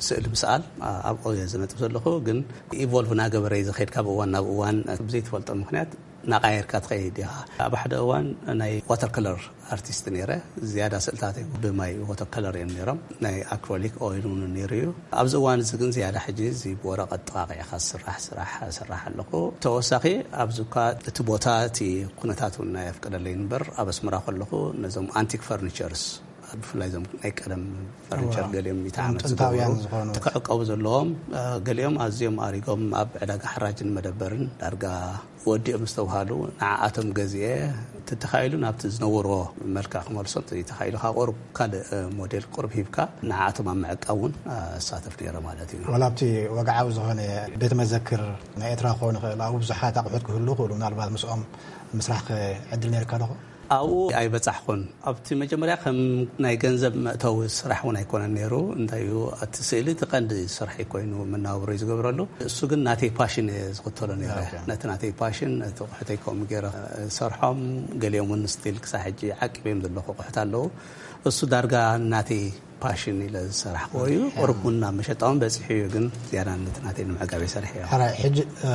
ስእሊ ምስኣል ኣብኦ እየ ዝነጥፍ ዘለኹ። ግን ኢቮልቭ እናገበረ እዩ ዝኸይድ። ካብ እዋን ናብ እዋን ብዘይትፈልጦ ምኽንያት እናቓየርካ ትኸይድ ኢኻ። ኣብ ሓደ እዋን ናይ ዋተር ከለር ኣርቲስት ነይረ። ዝያዳ ስእልታተይ ብማይ ዋተር ከለር እዮም ነይሮም። ናይ ኣክሮሊክ ኦይል እውን ነይሩ እዩ። ኣብዚ እዋን እዚ ግን ዝያዳ ሕጂ እዚ ብወረቐት ጠቓቒዕካ ዝስራሕ ስራሕ እሰርሕ ኣለኹ። ተወሳኺ ኣብዚ እኳ እቲ ቦታ እቲ ኩነታት እውን ኣይፍቅደለይ እምበር ኣብ ኣስመራ ከለኹ ነዞም ኣንቲክ ፈርኒቸርስ ብፍላይ እዞም ናይ ቀደም ፈርኒቸር እዋ፣ ገሊኦም ሚእቲ እቶም ዓመት ጥንታውያን ዝገበሩ ዝኾኑ። እቲ ክዕቀቡ ዘለዎም፣ እ፣ ገሊኦም ኣዝዮም ኣሪጎም ኣብ ዕዳጋ ሓራጅን መደበርን ዳርጋ ወዲኦም ዝተብሃሉ ንዓኣቶም ገዚኤ ተተኻኢሉ ናብቲ ዝነበርዎ መልክዕ ክመልሶም ተተኻኢሉ ካብ ቁሩብ ካልእ፣ እ፣ ሞዴል ቁሩብ ሂብካ ንዓኣቶም ኣብ ምዕቃብ እውን፣ እ፣ እሳተፍ ነይረ ማለት እዩ። ዋላ ኣብቲ ወግዓዊ ዝኾነ ቤተ መዘክር ናይ ኤርትራ ክኸውን ይኽእል፣ ኣብኡ ብዙሓት ኣቑሑት ክህሉ ይኽእሉ፣ ምናልባት ምስኦም ምስራሕ ከ ዕድል ነይርካ ዶ? ኣብኡ ኣይበጻሕኩን። ኣብቲ መጀመርያ ከም ናይ ገንዘብ መእተዊ ስራሕ እውን ኣይኮነን ነይሩ። እንታይ እዩ፣ እቲ ስእሊ እቲ ቀንዲ ስርሐይ ኮይኑ መናብሮ እዩ ዝገብረሉ። እሱ ግን ናተይ ፓሽን እየ ዝኽተሎ ነይረ። ኦኬ። ነቲ ናተይ ፓሽን፣ ነቲ ኣቑሑተይ ከምኡ ገይረ ዝሰርሖም፣ ገሊኦም እውን ስቲል ክሳብ ሕጂ ዓቂበዮም ዘለኹ ኣቑሑት ኣለዉ። እሱ ዳርጋ ናተይ ፓሽን ኢለ ዝሰራሕክዎ እዩ። ያ። ቁሩብ እውን ናብ መሸጣ እውን በፂሑ እዩ፣ ግን ዝያዳ ነቲ ናተይ ንምዕጋብ እየ ሰሪሐዮ። ሕራይ፣ ሕጂ፣ እ፣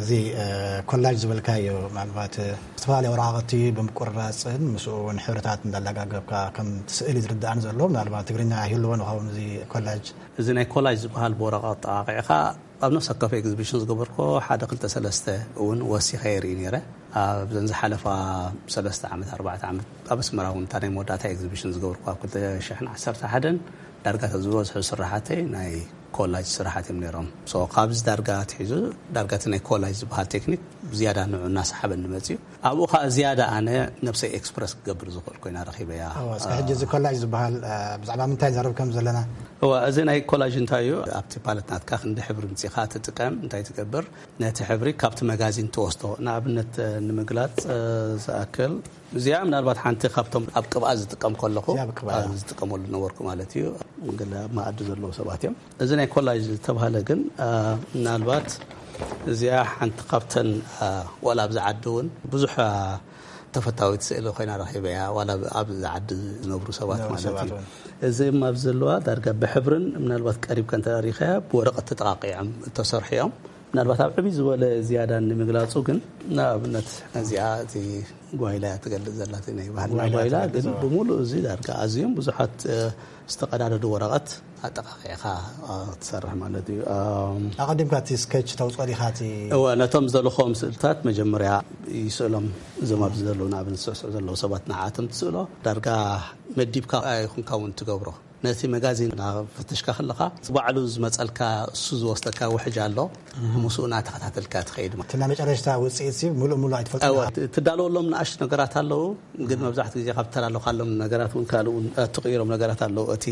እዚ፣ እ፣ ኮላጅ ዝበልካዮ፣ ምናልባት፣ እ፣ ዝተፈላለዩ ወረቓቕቲ ብምቁርራፅን ምስኡ እውን ሕብርታት እንዳላጋገብካ ከም ስእሊ ዝርዳእን ዘሎ፣ ምናልባት ትግርኛ ይህልዎ ንኸውን እዚ ኮላጅ? እዚ ናይ ኮላጅ ዝበሃል ብወረቓቕቲ ጠቓቒዕኻ ኣብ ነፍሲ ወከፍ ኤግዚቢሽን ዝገበርኮ ሓደ ክልተ ሰለስተ እውን ወሲኸ የርኢ ነይረ። ኣብዘን ዝሓለፋ ሰለስተ ዓመት፣ ኣርባዕተ ዓመት ኣብ ኣስመራ እውን እታ ናይ መወዳእታ ኤግዚቢሽን ዝገበርኩ ኣብ ክልተ ሽሕን ዓሰርተ ሓደን ዳርጋ ዝበዝሑ ስራሓተይ ናይ ኮላጅ ስራሓት እዮም ነይሮም። ሶ ካብዚ ዳርጋ ኣትሒዙ ዳርጋ እቲ ናይ ኮላጅ ዝበሃል ቴክኒክ ዝያዳ ንዑ እናሰሓበኒ መፅዩ። ኣብኡ ከዓ ዝያዳ ኣነ ነብሰይ ኤክስፕረስ ክገብር ዝኽእል ኮይና ረኺበያ። እወ፣ እስከ ሕጂ እዚ ኮላጅ ዝበሃል፣ እ፣ ብዛዕባ ምንታይ ንዛረብ ከም ዘለና? እወ፣ እዚ ናይ ኮላጅ እንታይ እዩ? ኣብቲ ፓለት ናትካ ክንዲ ሕብሪ ምፂኻ ትጥቀም፣ እንታይ ትገብር? ነቲ ሕብሪ ካብቲ መጋዚን ትወስዶ። ንኣብነት፣ እ፣ ንምግላፅ፣ እ፣ ዝኣክል፣ እዚኣ ምናልባት ሓንቲ ካብቶም ኣብ ቅብኣት ዝጥቀም ከለኹ፣ እዚኣ ኣብ ቅብኣት። ኣብ ዝጥቀመሉ ነበርኩ ማለት እዩ። ገለ ኣብ መኣዲ ዘለዉ ሰባት እዮም። እዚ ናይ ኮላጅ ዝተባህለ ግን፣ እ፣ ምናልባት እዚኣ ሓንቲ ካብተን፣ እ፣ ዋላ ኣብዚ ዓዲ እውን ብዙሕ፣ እ፣ ተፈታዊት ስእሊ ኮይና ረኺበያ፣ ዋላ ኣብዚ ዓዲ ዝነብሩ ሰባት ዝነብሩ ማለት ሰባት እዩ። እውን። እዚ ኣብዚ ዘለዋ ዳርጋ ብሕብርን ምናልባት ቀሪብካ እንተ ርኢኻያ ብወረቐት ተጠቓቒዖም እተሰርሑ እዮም። ምናልባት ኣብ ዕብይ ዝበለ ዝያዳ ንምግላጹ ግን፣ ንኣብነት ነዚኣ እቲ ጓይላ እያ ትገልጽ ዘላ፣ እቲ ናይ ባህልና ጓይላ ጓይላ ትገልጽ ግን ዘላ። ብምሉእ እዚ ዳርጋ ኣዝዮም ብዙሓት፣ እ፣ ዝተቐዳደዱ ወረቐት ኣጠቓቒዕኻ፣ እ፣ ትሰርሕ ማለት እዩ። እም፣ ኣቐዲምካ እቲ ስኬች ተውጽኦ ዲኻ? እቲ እወ፣ ነቶም ዝደለኹዎም ስእልታት መጀመርያ ይስእሎም፣ እዞም ኣብዚ ዘለዉ ንኣብነት ዝስዕስዑ ዘለዉ ሰባት ንዓኣቶም ትስእሎ። ዳርጋ መዲብካ ኣይኹንካ እውን ትገብሮ። ነቲ መጋዚን እናፈተሽካ ከለኻ፣ እቲ ባዕሉ ዝመጸልካ፣ እሱ ዝወስደካ ውሕጅ ኣሎ፣ ምስኡ እናተኸታተልካ ትኸይድ ማለት። እቲ ናይ መጨረሽታ ውጽኢት ሲ ምሉእ ምሉእ ኣይትፈልጦ እወ፣ ኢኻ። ት-፣ ትዳለወሎም ንኣሽቱ ነገራት ኣለዉ፣ ግን መብዛሕትኡ ግዜ ካብ ትተላለኻሎም ነገራት እውን ካልእ እውን፣ እ፣ ትቕይሮም ነገራት ኣለዉ። እቲ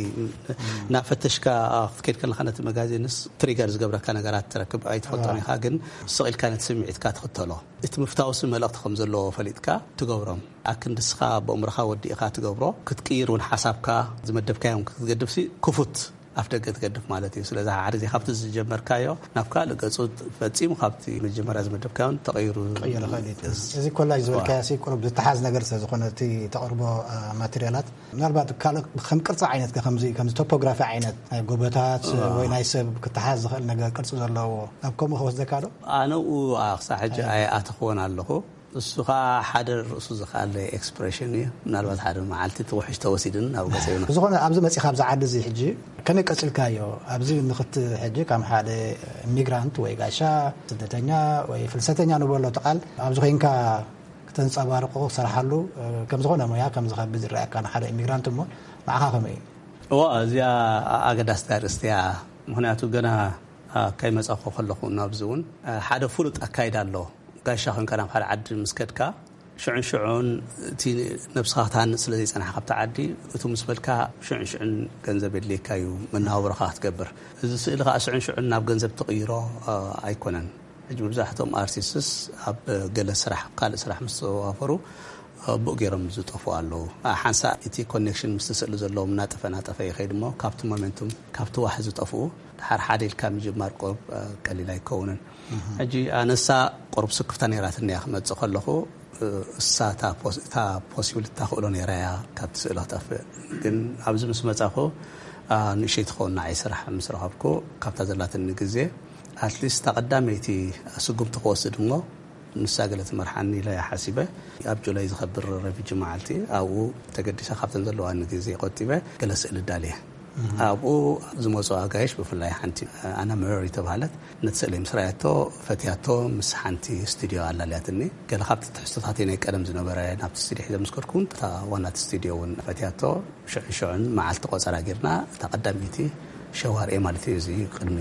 እናፈተሽካ፣ እ፣ ክትከይድ ከለኻ ነቲ መጋዚንስ ትሪገር ዝገብረካ ነገራት ትረክብ ኣይትፈልጦን ኢኻ፣ ግን ስቕ ኢልካ ነቲ ስምዒትካ ትኽተሎ። እቲ ምፍታውሲ መልእኽቲ ከም ዘለዎ ፈሊጥካ ትገብሮም። ኣክንዲ ንስኻ ብእምሮኻ ወዲእኻ ትገብሮ፣ ክትቅይር እውን ሓሳብካ ዝመደብካዮም ክትገድፍሲ ክፉት ኣፍ ደገ ትገድፍ ማለት እዩ። ስለዚ ሓደ ግዜ ካብቲ ዝጀመርካዮ ናብ ካልእ ገጹ ፈጺሙ ካብቲ መጀመርያ ዝመደብካዮን ተቐይሩ ቀይሩ ኸሊት። እዚ ኮላጅ ዝበልካዮ ሲ ቁሩብ ዝተሓዝ ነገር ስለ ዝኾነ እቲ ተቕርቦ፣ እ፣ ማቴሪያላት ምናልባት ካልእ ከም ቅርጺ ዓይነት ከ ከምዚ፣ ከምዚ ቶፖግራፊ ዓይነት ናይ ጎቦታት ወይ ናይ ሰብ ክተሓዝ ዝኽእል ነገር ቅርጺ ዘለዎ ናብ ከምኡ ክወስደካ ዶ? ኣነ ኡ-፣ ኣ-፣ ክሳዕ ሕጂ ኣይኣተኽዎን ኣለኹ። እሱ ኸኣ ሓደ ርእሱ ዝኸኣለ ኤክስፕሬሽን እዩ። ምናልባት ሓደ መዓልቲ እቲ ውሕጅ ተወሲድን ናብ ገጸ ይውነ። ብዝኾነ ኣብዚ መጺኻ ኣብዚ ዓዲ እዚ ሕጂ ከመይ ቀጺልካዮ? ኣብዚ ንኽት-፣ ሕጂ ከም ሓደ ኢሚግራንት ወይ ጋሻ ስደተኛ ወይ ፍልሰተኛ ንበሎ እቲ ቃል ኣብዚ ኮይንካ ክተንጸባርቆ ክሰርሓሉ፣ እ፣ ከም ዝኾነ ሞያ ከም ዝኸብድ ዝረኣየካ ንሓደ ኢሚግራንት እሞ ንዓኻ ከመይ እዩ? እዋ፣ እዚኣ ኣገዳስቲ ኣርእስቲ እያ። ምኽንያቱ ገና፣ ኣ፣ ከይመጻኹ ከለኹ ናብዚ እውን፣ ኣ፣ ሓደ ፍሉጥ ኣካይዳ ኣሎ። ጋሻ ኮንካ ናብ ሓደ ዓዲ ምስ ከድካ ሽዑን ሽዑን እቲ ነብስኻ ክትሃንጽ ስለ ዘይጸናሕካ ኣብቲ ዓዲ፣ እቱ ምስ በልካ ሽዑን ሽዑን ገንዘብ የድልየካ እዩ መነባብሮኻ ክትገብር። እዚ ስእሊ ከኣ ሽዑን ሽዑን ናብ ገንዘብ ትቕይሮ፣ እ፣ ኣይኮነን። ሕጂ መብዛሕትኦም ኣርቲስትስ ኣብ ገለ ስራሕ፣ ኣብ ካልእ ስራሕ ምስ ተዋፈሩ፣ እ፣ ብኡ ገይሮም ዝጠፍኡ ኣለዉ። እ፣ ሓንሳእ እቲ ኮኔክሽን ምስቲ ስእሊ ዘለዎም እናጠፈ እናጠፈ ይኸይድ እሞ ካብቲ ሞሜንቱም፣ ካብቲ ዋሕ ዝጠፍኡ፣ ድሓር ሓደ ኢልካ ምጅማር ቁሩብ፣ እ፣ ቀሊል ኣይከውንን። ሕጂ ኣነሳ ቁሩብ ስክፍታ ነይራትኒ እያ ክመጽእ ከለኹ፣ እ፣ እሳ እታ ፖስ-፣ እታ ፖሲብል እታ ክእሎ ነይራ እያ ካብቲ ስእሊ ክጠፍእ። ግን ኣብዚ ምስ መጻኹ፣ ኣ፣ ንእሸይ ትኸውን ንዓይ ስራሕ ምስ ረኸብኩ፣ ካብታ ዘላትኒ ግዜ፣ ኣትሊስት እታ ቀዳመይቲ ስጉምቲ ክወስድ እሞ፣ ንሳ ገለ ትመርሓኒ ኢለ እየ ሓሲበ። ኣብ ጁላይ ዝኸብር ረፊጂ መዓልቲ፣ ኣብኡ ተገዲሰ ካብተን ዘለዋኒ ግዜ ቆጢበ ገለ ስእሊ ዳልየ። ኣብኡ ዝመጹ ኣጋይሽ፣ ብፍላይ ሓንቲ ኣና መሪ ተባህለት፣ ነቲ ስእሊ ምስ ረኣየቶ ፈትያቶ፣ ምስ ሓንቲ ስቱድዮ ኣላልያትኒ። ገለ ካብቲ ትሕዝቶታተይ ናይ ቀደም ዝነበረ ናብቲ ስቱድዮ ሒዘ ምስ ከድኩ እውን፣ እታ ዋና እቲ ስቱድዮ እውን ፈትያቶ። ሽዑን ሽዑን መዓልቲ ቆጸራ ጌርና፣ እታ ቀዳመይቲ ሸዋር እየ ማለት እዩ። እዚ ቅድሚ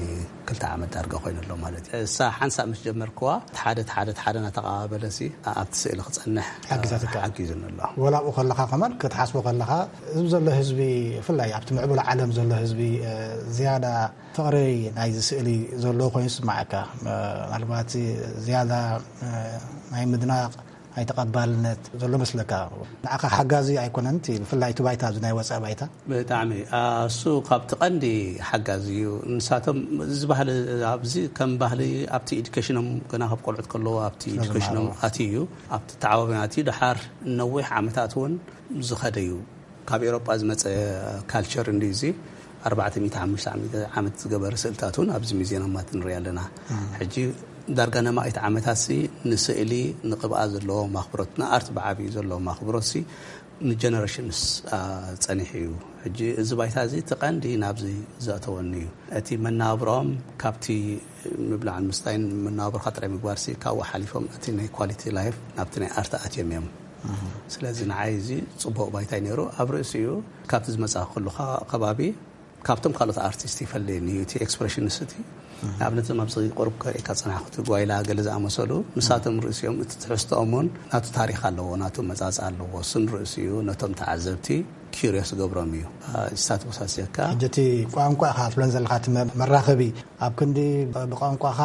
ክልተ ዓመት ዳርጋ ኮይኑ ኣሎ ማለት እዩ። እሳ ሓንሳእ ምስ ጀመርክዋ፣ ሓደ ሓደ ሓደ እናተቐባበለሲ ኣብቲ ስእሊ ክጸንሕ ሓጊዛትካ። ሓጊዙኒ ኣሎ። ወላ ኣብኡ ከለኻ ከማን ክትሓስቦ ከለኻ፣ እዚ ዘሎ ህዝቢ፣ ብፍላይ ኣብቲ ምዕቡል ዓለም ዘሎ ህዝቢ፣ እ፣ ዝያዳ ፍቕሪ ናይዚ ስእሊ ዘለዎ ኮይኑ ይስምዓካ። እ፣ ምናልባት ዝያዳ፣ እ፣ ናይ ምድናቕ ናይ ተቐባልነት ዘሎ መስለካ። ንዓኻ ሓጋዚ ኣይኮነን እቲ፣ ብፍላይ እቲ ባይታ፣ ኣብዚ ናይ ወጻኢ ባይታ? ብጣዕሚ፣ ኣ፣ እሱ ካብቲ ቀንዲ ሓጋዚ እዩ። ንሳቶም እዚ ባህሊ፣ ኣብዚ ከም ባህሊ ኣብቲ ኤዱኬሽኖም፣ ገና ካብ ቆልዑት ከለዉ ኣብቲ ስለ ኤዱኬሽኖም ዝመሃሩ። ኣትዩ እዩ። ኣብቲ ተዓባቢና ኣትዩ፣ ድሓር ነዊሕ ዓመታት እውን ዝኸደ እዩ። ካብ ኤውሮጳ ዝመጸ ካልቸር እንድዩ እዚ። ኣርባዕተ ሚእቲ፣ ሓሙሽተ ሚእቲ ዓመት ዝገበረ ስእልታት እውን ኣብዚ ሙዚየማት ንርኢ ኣለና። ሕጂ ዳርጋ ነማኢት ዓመታትሲ ንስእሊ፣ ንቅብኣ ዘለዎ ኣኽብሮት፣ ንኣርት ብዓብዩ ዘለዎ ኣኽብሮትሲ ንጀነሬሽንስ፣ ኣ፣ ጸኒሑ እዩ። ሕጂ እዚ ባይታ እዚ እቲ ቀንዲ ናብዚ ዘእተወኒ እዩ። እቲ መነባብሮኦም ካብቲ ምብላዕን ምስታይን መነባብሮኻ ጥራይ ምግባርሲ ካብኡ ሓሊፎም እቲ ናይ ኳሊቲ ላይፍ ናብቲ ናይ ኣርት ኣትዮም እዮም። ስለዚ ንዓይ እዚ ጽቡቕ ባይታ እዩ ነይሩ። ኣብ ርእሲኡ ካብቲ ዝመጻእኩሉ ከ-፣ ከባቢ ካብቶም ካልኦት ኣርቲስት ይፈልየኒ እዩ። እቲ ኤክስፕሬሽንስ እቲ ንኣብነት እዞም ኣብዚ ቁሩብ ከርእየካ ዝጸናሕኩ እቲ ጓይላ ገለ ዝኣመሰሉ ንሳቶም ርእሲኦም እቲ ትሕዝቶኦም እውን ናቱ ታሪኽ ኣለዎ፣ ናቱ መጻጽ ኣለዎ። እሱ ንርእሲኡ ነቶም ተዓዘብቲ ኪሪዮስ ገብሮም እዩ። እ፣ ስታት ወሳሲካ። ሕጂ እቲ ቋንቋ ኢኻ ትብለን ዘለኻ፣ እቲ መ-፣ መራኸቢ ኣብ ክንዲ ብ-፣ ብቋንቋኻ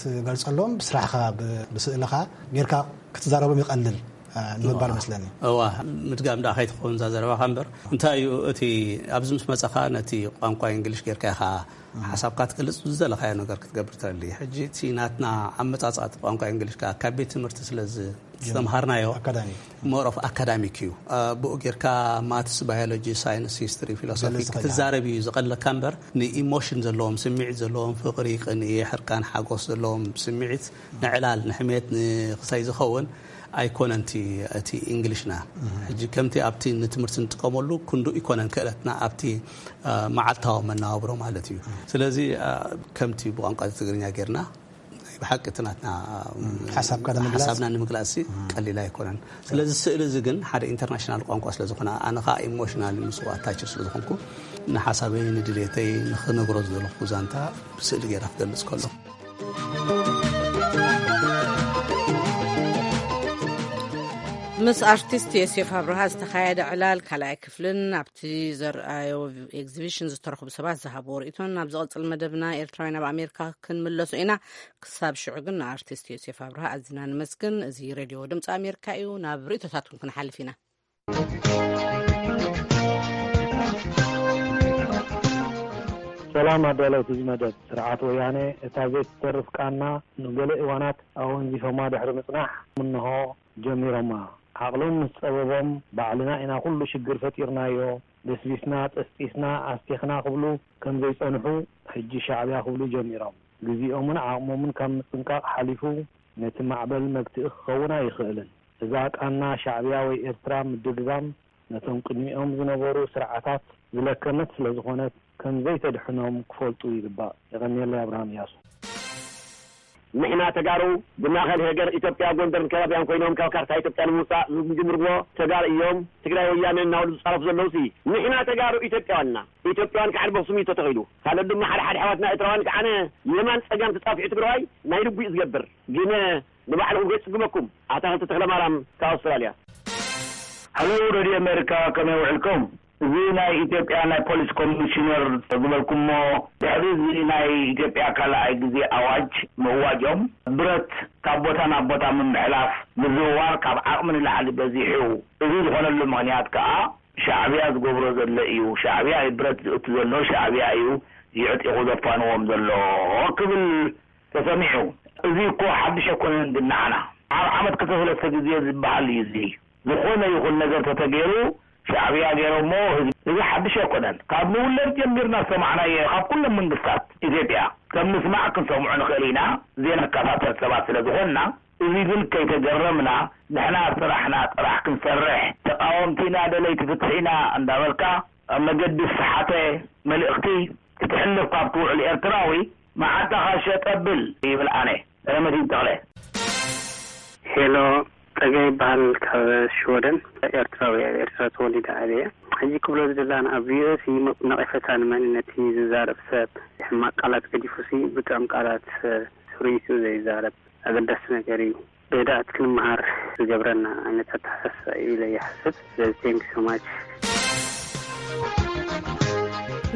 ትገልጸሎም፣ ብስራሕኻ፣ ብ-፣ ብስእልኻ ጌርካ ክትዛረቦም ይቐልል፣ እ፣ ንምባል እዋ። መስለኒ። እዋ፣ ምድጋም ደኣ ከይትኸውን እዛ ዘረባኻ እምበር፣ እንታይ እዩ እቲ ኣብዚ ምስ መጻኻ ነቲ ቋንቋ እንግሊሽ ጌርካ ኢኻ ሓሳብካ ትገልጽ፣ ዝደለኻዮ ነገር ክትገብር ትደሊ። ሕጂ እቲ ናትና ኣመጻጽኣ ቋንቋ እንግሊሽ ከኣ ካብ ቤት ትምህርቲ ስለ ዝተምሃርናዮ፣ ኣካዳሚ ሞር ኦፍ ኣካዳሚክ እዩ። ብኡ ጌርካ ማትስ፣ ባዮሎጂ፣ ሳይንስ፣ ሂስትሪ፣ ፊሎሶፊ ክትዛረብ እዩ ዝቐለካ እምበር፣ ንኢሞሽን ዘለዎም፣ ስምዒት ዘለዎም፣ ፍቕሪ፣ ቅንኢ፣ ሕርቃን፣ ሓጎስ ዘለዎም ስምዒት፣ ንዕላል፣ ንሕሜት፣ ንክሳይ ዝኸውን ኣይኮነን እቲ፣ እቲ እንግሊሽና። ሕጂ ከምቲ ኣብቲ ንትምህርቲ ንጥቀመሉ ክንዱ ኣይኮነን ክእለትና ኣብቲ መዓልታዊ መነባብሮ ማለት እዩ። ስለዚ ከምቲ ብቋንቋ ትግርኛ ጌርና ብሓቂ እቲ ናትና ሓሳብና ንምግላጽ ቀሊል ኣይኮነን። ስለዚ ስእሊ እዚ ግን ሓደ ኢንተርናሽናል ቋንቋ ስለ ዝኾነ፣ ኣነ ከዓ ኢሞሽናል ምስኡ ኣታች ስለ ዝኾንኩ፣ ንሓሳበይ፣ ንድሌተይ፣ ንኽነግሮ ዝደለኹ ዛንታ ብስእሊ ጌራ ክገልጽ ከሎ። ምስ ኣርቲስት ዮሴፍ ኣብርሃ ዝተኻየደ ዕላል ካልኣይ ክፍልን ኣብቲ ዘርኣዮ ኤግዚቢሽን ዝተረኽቡ ሰባት ዝሃብዎ ርእይቶን ኣብ ዝቐጽል መደብና ኤርትራውያን ኣብ ኣሜሪካ ክንምለሶ ኢና። ክሳብ ሽዑ ግን ንኣርቲስት ዮሴፍ ኣብርሃ ኣዝና ንመስግን። እዚ ሬድዮ ድምፂ ኣሜሪካ እዩ። ናብ ርእይቶታትኩም ክንሓልፍ ኢና። ሰላም ኣዳለውቲ እዚ መደብ። ስርዓት ወያነ እታ ዘይትተርፍ ቃና ንገለ እዋናት ኣወንዚፎማ ድሕሪ ምጽናሕ፣ እንሆ ጀሚሮማ። ዓቕሎም ምስ ጸበቦም፣ ባዕልና ኢና ኩሉ ሽግር ፈጢርናዮ፣ በስቢስና፣ ጠስጢስና፣ ኣስቲኽና ክብሉ ከም ዘይጸንሑ፣ ሕጂ ሻዕብያ ክብሉ ጀሚሮም። ግዜኦምን ዓቕሞምን ካብ ምጽንቃቕ ሓሊፉ፣ ነቲ ማዕበል መግትኢ ክኸውን ኣይኽእልን። እዛ ቃና ሻዕብያ ወይ ኤርትራ ምድግጋም ነቶም ቅድሚኦም ዝነበሩ ስርዓታት ዝለከመት ስለ ዝኾነት፣ ከም ዘይተድሕኖም ክፈልጡ ይግባእ። የቐንየለይ። ኣብርሃም እያሱ። ንሕና ተጋሩ ብማእኸል ሃገር ኢትዮጵያ፣ ጎንደርን ከባቢያን ኮይኖም ካብ ካርታ ኢትዮጵያ ንምውፃእ ዝጅምርዎ ተጋሩ እዮም። ትግራይ ወያነ እናበሉ ዝፃረፉ ዘለውሲ ንሕና ተጋሩ ኢትዮጵያውያን ኢና። ኢትዮጵያውያን ከዓ በኽሱም እዩ ተተኺሉ። ካልኦት ድማ ሓደ ሓደ ኣሕዋትና ኤርትራውያን ከዓ የማን ፀጋም ተፃፊዑ ትግራዋይ ናይ ልቡ እዩ ዝገብር። ግን ንባዕልኹም ከይፅግመኩም። ኣታኽልቲ ተኽለማርያም ካብ ኣውስትራልያ። ሃሎ ሬድዮ ኣሜሪካ፣ ከመይ ውዕልኩም? እዚ ናይ ኢትዮጵያ ናይ ፖሊስ ኮሚሽነር ዝበልኩሞ፣ ድሕሪ እዚ ናይ ኢትዮጵያ ካልኣይ ግዜ ኣዋጅ ምእዋጆም፣ ብረት ካብ ቦታ ናብ ቦታ ምምሕላፍ፣ ምዝውዋር ካብ ዓቕሚ ንላዕሊ በዚሑ። እዚ ዝኾነሉ ምኽንያት ከኣ ሻዕብያ ዝገብሮ ዘሎ እዩ። ሻዕብያ እዩ ብረት ዝእቱ ዘሎ፣ ሻዕብያ እዩ ይዕጢቑ ዘፋንዎም ዘሎ ክብል ተሰሚዑ። እዚ እኮ ሓድሽ ኣይኮነን፣ ግን ንዓና ኣብ ዓመት ክልተ ሰለስተ ግዜ ዝበሃል እዩ። እዚ ዝኾነ ይኹን ነገር ተተገይሩ ሻዕብያ ገይሮሞ ህዝቢ፣ እዚ ሓድሽ ኣይኮነን። ካብ ንውለድ ጀሚርና ዝሰማዕናዮ፣ ካብ ኩሎም መንግስታት ኢትዮጵያ ከም ምስማዕ ክንሰምዖ ንኽእል ኢና፣ ዘይንከታተል ሰባት ስለ ዝኾንና። እዚ ግን ከይተገረምና፣ ንሕና ስራሕና ጥራሕ ክንሰርሕ፣ ተቃወምቲ ኢና፣ ደለይቲ ፍትሒ ኢና እንዳበልካ ኣብ መገዲ ዝሰሓተ መልእኽቲ ክትሕልፍ ካብ ትውዕል ኤርትራዊ፣ መዓንጣኻ ሸጥ ኣብል ይብል ኣነ። ረመዲን ተኽለ። ሄሎ፣ ጸጋይ ይበሃል፣ ካብ ሽወደን። ኤርትራዊ፣ ኣብ ኤርትራ ተወሊደ ዓብየ። ሕጂ ክብሎ ዝደላን ኣብ ቪኦኤ ሲ ነቒፈታ ንመንነት ዝዛረብ ሰብ ሕማቕ ቃላት ገዲፉሲ ብጥዑም ቃላት ስርይቱ ዘይዛረብ ኣገዳሲ ነገር እዩ። ብህድኣት ክንመሃር ዝገብረና ዓይነት ኣተሓሳስባ እዩ ኢለ ይሓስብ። ስለዚ thank you so much።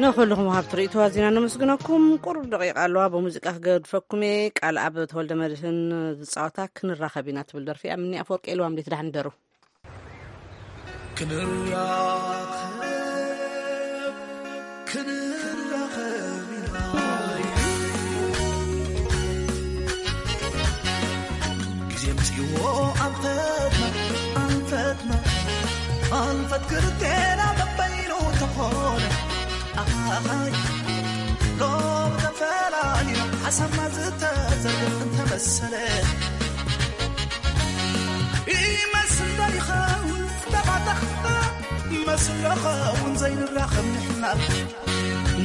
ንኹልኹም ወሃብቲ ርእይቶ ኣዚና ነመስግነኩም። ቁሩብ ደቂቃ ኣለዋ፣ ብሙዚቃ ክገድፈኩም እየ። ቃል ኣብ ተወልደ መድህን ዝጻወታ ክንራኸብ ኢና ትብል ደርፊ እያ። ምኒ ኣፈወርቂ ኢልዋም ዴት ዳሕን ደሩ። ክንራኸብ፣ ክንራኸብ ኢና። ግዜ ምጽእዎ ኣንፈትና፣ ኣንፈትና፣ ኣንፈት ክልቴና በበይኑ ተኾነ። ኣሃሃይ፣ ሎም ተፈላሊና፣ ሓሳብና ዝተዘርግሕ እንተመሰለ። ይመስል ዶ ይኸውን ዝተባተኽና፣ ይመስል ዶ ኸውን ዘይንራኸብ ንሕና፣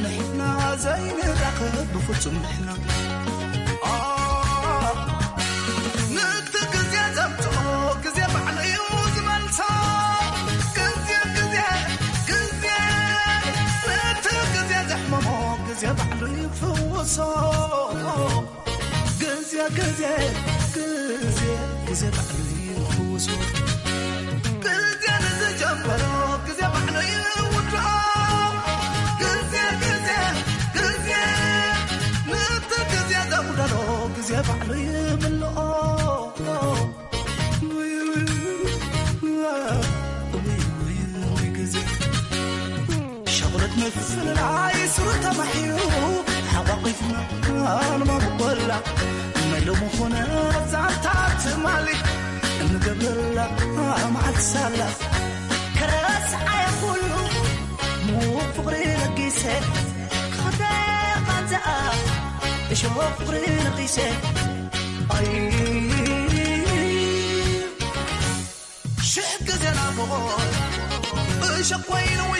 ንሕና ዘይንራኸብ ብፍጹም ንሕና። ነቲ ግዜ ዘምጽኦ ግዜ ባዕሉ እዩ ዝመልሶ። ግዜ፣ ግዜ፣ ግዜ፣ ነቲ ግዜ ዘሕመሞ ግዜ ባዕሉ ይፍውሶ። ግዜ፣ ግዜ፣ ግዜ፣ ግዜ ባዕሉ ይፍውሶ። ግዜ ንዝጀመሮ ግዜ ባዕሉ ይውድኦ። ግዜ፣ ግዜ፣ ግዜ፣ ነቲ ግዜ ዘጉደሎ ግዜ ባዕሉ ይምልኦ። ሸቕሎት ምፍልላይ ስሩ ተማሒሩ፣ ማሊ እንገብረላ መዓልቲ ሳላ ከረስዓየ ኩሉ ሙቕ ፍቕሪ ለጊሰ ክኽደ ቃንዛኣ እሾኽ ፍቕሪ ነቒሰ ኣይ ሽሕ ግዜ ናፍቖት እሾኽ ኮይንዋ